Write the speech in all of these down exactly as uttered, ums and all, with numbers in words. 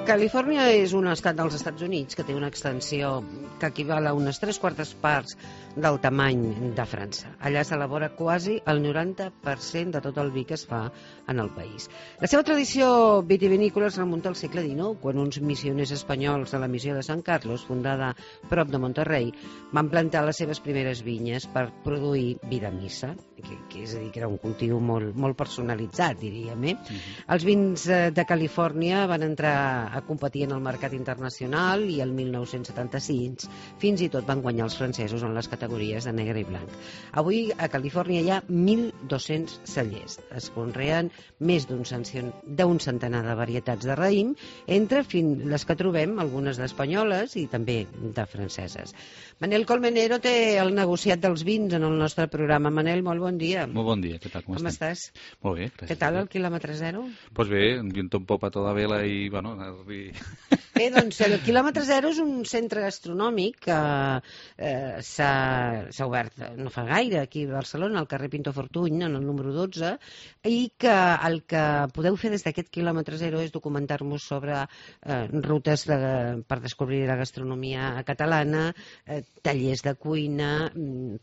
Califòrnia és un estat dels Estats Units que té una extensió que equival a unes tres quartes parts del tamany de França. Allà s'elabora quasi el noranta per cent de tot el vi que es fa en el país. La seva tradició vitivinícola es remunta al segle dinou, quan uns missioners espanyols de la missió de Sant Carlos, fundada prop de Monterrey, van plantar les seves primeres vinyes per produir vi de missa, que, que és a dir, que era un cultiu molt, molt personalitzat, diríem. Eh? Uh-huh. Els vins de Califòrnia van entrar a competir en el mercat internacional i el mil nou-cents setanta-sis fins i tot van guanyar els francesos en les categories de negre i blanc. Avui a Califòrnia hi ha mil dos-cents cellers. Es conreen més d'un centenar de varietats de raïm, entre les que trobem algunes d'espanyoles i també de franceses. Manel Colmenero té el negociat dels vins en el nostre programa. Manel, molt bon dia. Molt bon dia, què tal? Com, com estàs? Molt bé, gràcies. Què tal el quilòmetre zero? Doncs pues bé, viento un poco a toda vela i, bueno... I... Bé, doncs el quilòmetre zero és un centre gastronòmic que eh, s'ha obert no fa gaire aquí a Barcelona, al carrer Pinto Fortuny, en el número dotze, i que el que podeu fer des d'aquest quilòmetre zero és documentar-vos sobre eh, rutes de, per descobrir la gastronomia catalana, eh, tallers de cuina,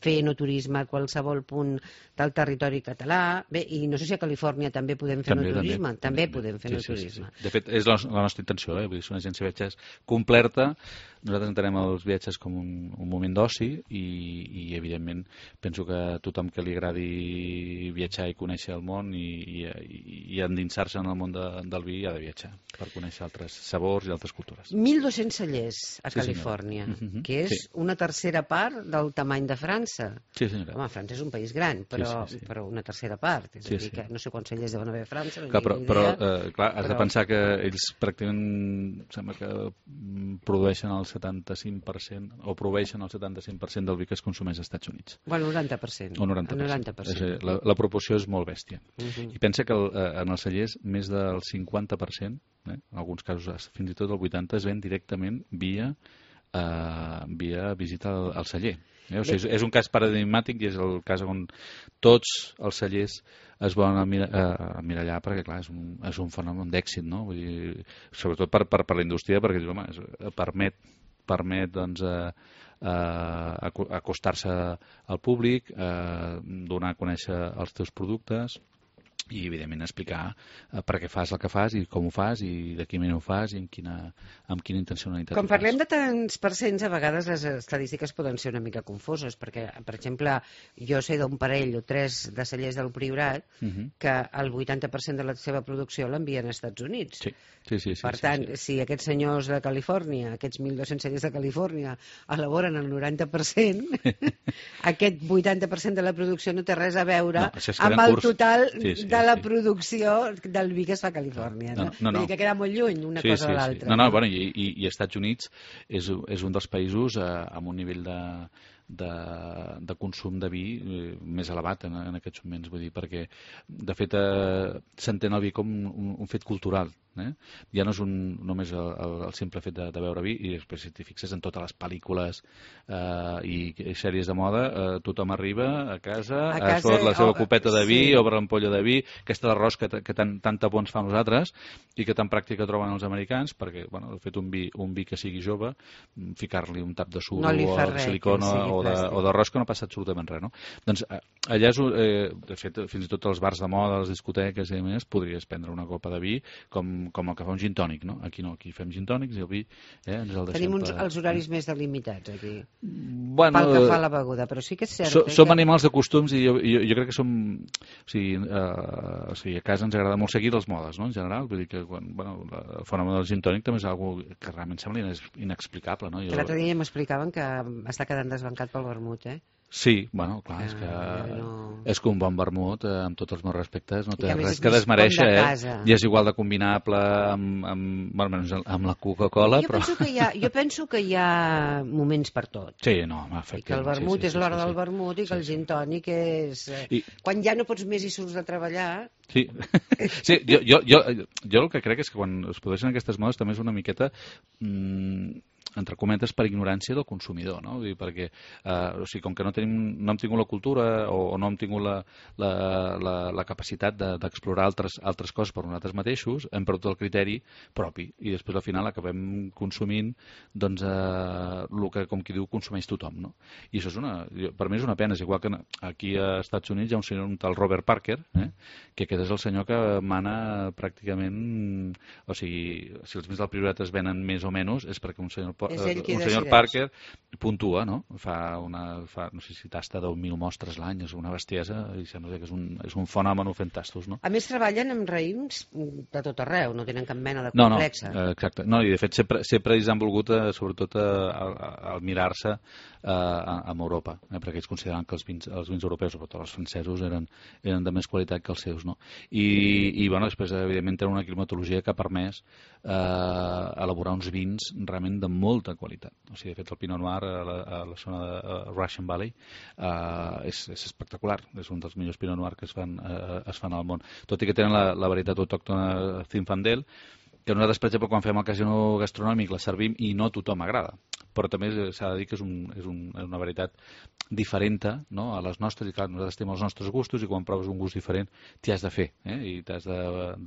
fer enoturisme a qualsevol punt del territori català. Bé, i no sé si a Califòrnia també podem fer també, enoturisme. També, també, també podem fer sí, enoturisme. Sí, sí, sí. De fet, és la, la nostra intenció, eh? Vull dir, és una agència de viatges completa. Nosaltres entenem els viatges com un, un moment d'oci i, i, evidentment, penso que a tothom que li agradi viatjar i conèixer el món i, i, i endinsar-se en el món de, del vi ha de viatjar per conèixer altres sabors i altres cultures. mil dos-cents cellers a sí, Califòrnia, uh-huh. que és sí. una tercera part del tamany de França. Sí, senyora. Home, França és un país gran, però, sí, sí, sí. però una tercera part. És sí, a dir, sí. que no sé quants cellers deuen haver a França. No clar, però, però eh, clar, has però... de pensar que ells pràcticament sembla que produeixen el setanta-cinc per cent o proveeixen el setanta-cinc per cent del vi que es consumeix als Estats Units. Bueno, el noranta per cent. O noranta per cent. noranta per cent. És, la, la proporció és molt bèstia. Uh-huh. I pensa que el, en els cellers més del cinquanta per cent, eh, en alguns casos fins i tot el vuitanta per cent, es ven directament via, eh, via visita al, al celler. Eh? O sigui, és, és un cas paradigmàtic i és el cas on tots els cellers es volen emmirallar perquè, clar, és un, és un fenomen d'èxit, no? Vull dir, sobretot per, per, per la indústria, perquè home, és, permet, permet doncs, eh, eh, acostar-se al públic, eh, donar a conèixer els teus productes i, evidentment, explicar eh, per què fas el que fas i com ho fas i de quina manera ho fas i amb quina, amb quina intencionalitat. Quan parlem de tants percents, a vegades les estadístiques poden ser una mica confoses, perquè, per exemple, jo sé d'un parell o tres de cellers del Priorat uh-huh. que el vuitanta per cent de la seva producció l'envien als Estats Units. Sí. Sí, sí, sí, per sí, tant, sí. si aquests senyors de Califòrnia, aquests mil dos-cents cellers de Califòrnia, elaboren el noranta per cent, aquest vuitanta per cent de la producció no té res a veure no, amb el curs. total sí, sí, de la sí. producció del vi que es fa a Califòrnia. No, no, no, no. Vull dir que queda molt lluny una sí, cosa sí, de l'altra. Sí. No, no, bueno, i, i, i Estats Units és, és un dels països eh, amb un nivell de, de, de consum de vi eh, més elevat en, en aquests moments, vull dir, perquè de fet eh, s'entén el vi com un, un fet cultural. Eh? Ja no és un, només el, el, el simple fet de, de beure vi, i després si t'hi fixes en totes les pel·lícules eh, i, i sèries de moda, eh, tothom arriba a casa, a casa es fot la seva oh, copeta de vi sí. obre l'ampolla de vi, aquesta arròs que, que tan, tanta por ens fa a nosaltres i que tan pràctica troben els americans, perquè bueno, de fet un vi, un vi que sigui jove, ficar-li un tap de suro no o de silicona o d'arròs que no passa absolutament res, no? Doncs allà és, eh, de fet, fins i tot als bars de moda, les discoteques i més, podries prendre una copa de vi com com el que fa un gin tònic, no? Aquí no, aquí fem gin tònics i el vi eh, ens el deixem... Tenim uns, per... els horaris més delimitats aquí, bueno, pel que fa a la beguda, però sí que és cert... So, eh, som que... animals de costums i jo, jo, jo crec que som... O sigui, eh, o sigui, a casa ens agrada molt seguir les modes, no?, en general. Vull dir que quan, bueno, el fenomen del gin tònic també és una que realment sembla inexplicable, no? Jo... Que l'altre dia m'explicaven que està quedant desbancat pel vermut, eh? Sí, bueno, clar, és que no... és que un bon vermut, eh, amb tots els meus respectes, no té que res que desmereixer, de eh? I és igual de combinable amb, amb, bueno, amb la Coca-Cola, jo però... Penso que hi ha, jo penso que hi ha moments per tot. Sí, no, efectivament. I que el vermut sí, sí, és l'hora sí, sí, del vermut i que sí, el gin tònic és... I... Quan ja no pots més i surts de treballar... Sí, sí jo, jo, jo, jo el que crec és que quan es produeixen aquestes modes també és una miqueta... Mmm, entre cometes, per ignorància del consumidor, no? Vull dir, perquè, eh, o sigui, com que no, tenim, no hem tingut la cultura o, o no hem tingut la, la, la, la capacitat d'explorar de, altres, altres coses per nosaltres mateixos, hem perdut el criteri propi i després al final acabem consumint doncs, eh, el que, com qui diu, consumeix tothom, no? I això és una, per mi és una pena, és igual que aquí a Estats Units hi ha un senyor, un tal Robert Parker, eh, que aquest és el senyor que mana pràcticament, o sigui, si els béns del priorat es venen més o menys és perquè un senyor un senyor Parker puntua, no? Fa una, fa, no sé si tasta deu mil mostres l'any, és una bestiesa i sembla que és un, és un fenomen fent tastos, no? A més, treballen amb raïms de tot arreu, no tenen cap mena de complexa. No, no, exacte. No, i de fet sempre, sempre ells han volgut, eh, sobretot, al mirar-se eh, amb Europa, eh, perquè ells consideren que els vins, els vins europeus, sobretot els francesos, eren, eren de més qualitat que els seus, no? I, i bueno, després, evidentment, tenen una climatologia que ha permès eh, elaborar uns vins realment de molta qualitat. O sigui, de fet, el Pinot Noir a la, a la zona de uh, Russian Valley uh, és, és espectacular. És un dels millors Pinot Noir que es fan, uh, es fan al món. Tot i que tenen la, la varietat autòctona Zinfandel, que nosaltres, per exemple, quan fem el casino gastronòmic la servim i no a tothom agrada. Però també s'ha de dir que és, un, és, un, és una varietat diferent, no? A les nostres, i clar, nosaltres tenim els nostres gustos i quan proves un gust diferent t'hi has de fer, eh? I t'has de,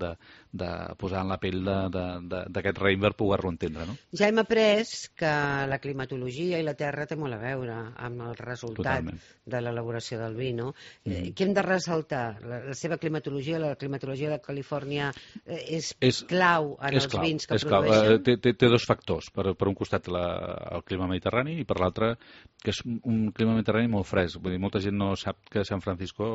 de, de posar en la pell d'aquest raïm per poder-lo entendre, no? Ja hem après que la climatologia i la terra té molt a veure amb el resultat Totalment. De l'elaboració del vi, no? Mm. Què hem de ressaltar? La, la seva climatologia, la climatologia de Califòrnia és, és clau en és els clau, vins que és produeixen? Clau. Té, té, té dos factors. Per, per un costat la, el clima mediterrani i per l'altre que és un clima mediterrani molt fresc. Vull dir, molta gent no sap que San Francisco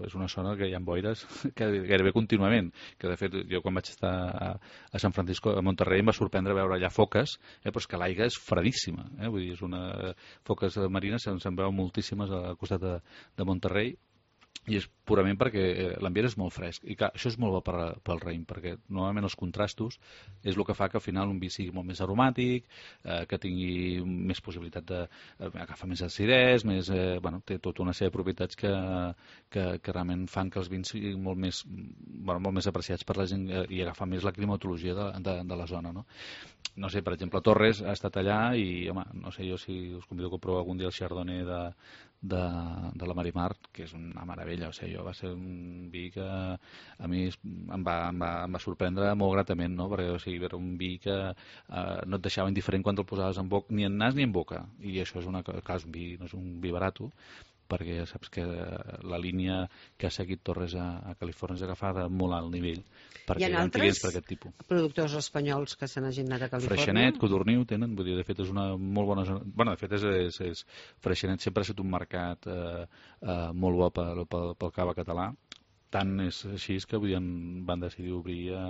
és una zona que hi ha boires que gairebé contínuament, que de fet jo quan vaig estar a, a San Francisco, a Monterrey, em va sorprendre veure allà foques, eh, però és que l'aigua és fredíssima, eh? Vull dir, és una foques marines, se'n se'n veuen moltíssimes al costat de, de Monterrey, i és purament perquè l'ambient és molt fresc i clar, això és molt bo per, pel raïm perquè normalment els contrastos és el que fa que al final un vi sigui molt més aromàtic, eh, que tingui més possibilitat de eh, agafar més acidès, més, eh, bueno, té tota una sèrie de propietats que, que, que realment fan que els vins siguin molt més, bueno, molt més apreciats per la gent eh, i agafar més la climatologia de, de, de la zona, no? No sé, per exemple, Torres ha estat allà i, home, no sé jo si us convido que proveu algun dia el Chardonnay de, de, de la Marimar, que és una meravella, o sigui, jo va ser un vi que a mi em va, em va, em va sorprendre molt gratament, no? Perquè, o sigui, era un vi que eh, no et deixava indiferent quan te'l posaves en boca, ni en nas ni en boca, i això és una, clar, és un vi, no és un vi barato, perquè saps que la línia que ha seguit Torres a, a Califòrnia és agafada molt alt nivell perquè hi ha clients per aquest tipus. Productors espanyols que se n'hagin anat a Califòrnia? Freixenet, Codorniu tenen, vull dir, de fet és una molt bona zona. Bueno, de fet és, és, és Freixenet sempre ha estat un mercat eh, eh, molt bo pel, pel, pel cava català. Tant és així que vull dir, van decidir obrir a,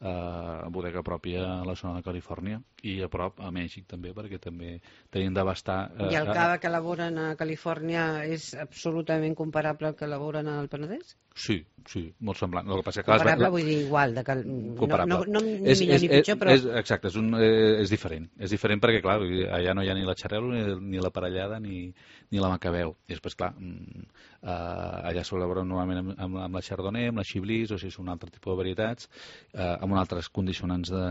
a bodega pròpia a la zona de Califòrnia i a prop a Mèxic també, perquè també tenien d'abastar... Eh, I el cava que elaboren a Califòrnia és absolutament comparable al que elaboren al Penedès? Sí, sí, molt semblant. El que passa que, comparable vull dir igual, de cal... no, no, no ni és, millor és, ni pitjor, però... És, exacte, és, un, és diferent. És diferent perquè, clar, allà no hi ha ni la xarel·lo, ni, ni la parellada, ni, ni la macabeu. I després, clar, uh, allà s'elaboren normalment amb, amb, amb la chardonnay, amb la chablis, o sigui, són un altre tipus de varietats, uh, amb altres condicionants de,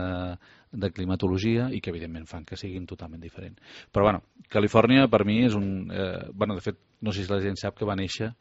de climatologia i que, evidentment, fan que siguin totalment diferents. Però, bueno, Califòrnia, per mi, és un... Uh, bueno, de fet, no sé si la gent sap que va néixer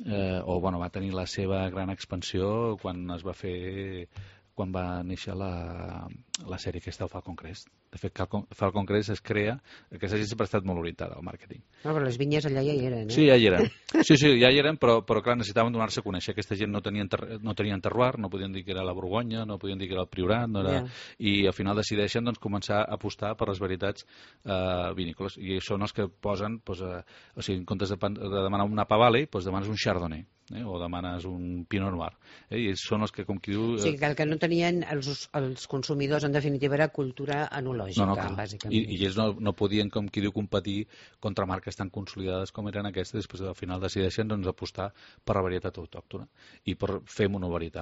Eh, o bueno, va tenir la seva gran expansió quan es va fer quan va néixer la, la sèrie aquesta, el Falcon Crest. De fet, Falcon Crest es crea, aquesta gent sempre ha estat molt orientada al màrqueting. No, però les vinyes allà ja hi eren, eh? Sí, ja hi eren. Sí, sí, ja hi eren, però, però clar, necessitaven donar-se a conèixer. Aquesta gent no tenien, ter no tenien terroir, no podien dir que era la Borgonya, no podien dir que era el Priorat, no era... Yeah. I al final decideixen doncs, començar a apostar per les varietats eh, vinícoles. I són els que posen, doncs, eh, o sigui, en comptes de, de demanar un Napa Valley, doncs demanes un Chardonnay. Eh, o demanes un Pinot Noir. Eh, I són els que, com qui diu... Eh... O sigui, que el que no tenien els, els consumidors, en definitiva, era cultura enològica, no, no, bàsicament. I, i ells no, no podien, com qui diu, competir contra marques tan consolidades com eren aquestes, després al final decideixen doncs, apostar per la varietat autòctona i per fer monovarietat.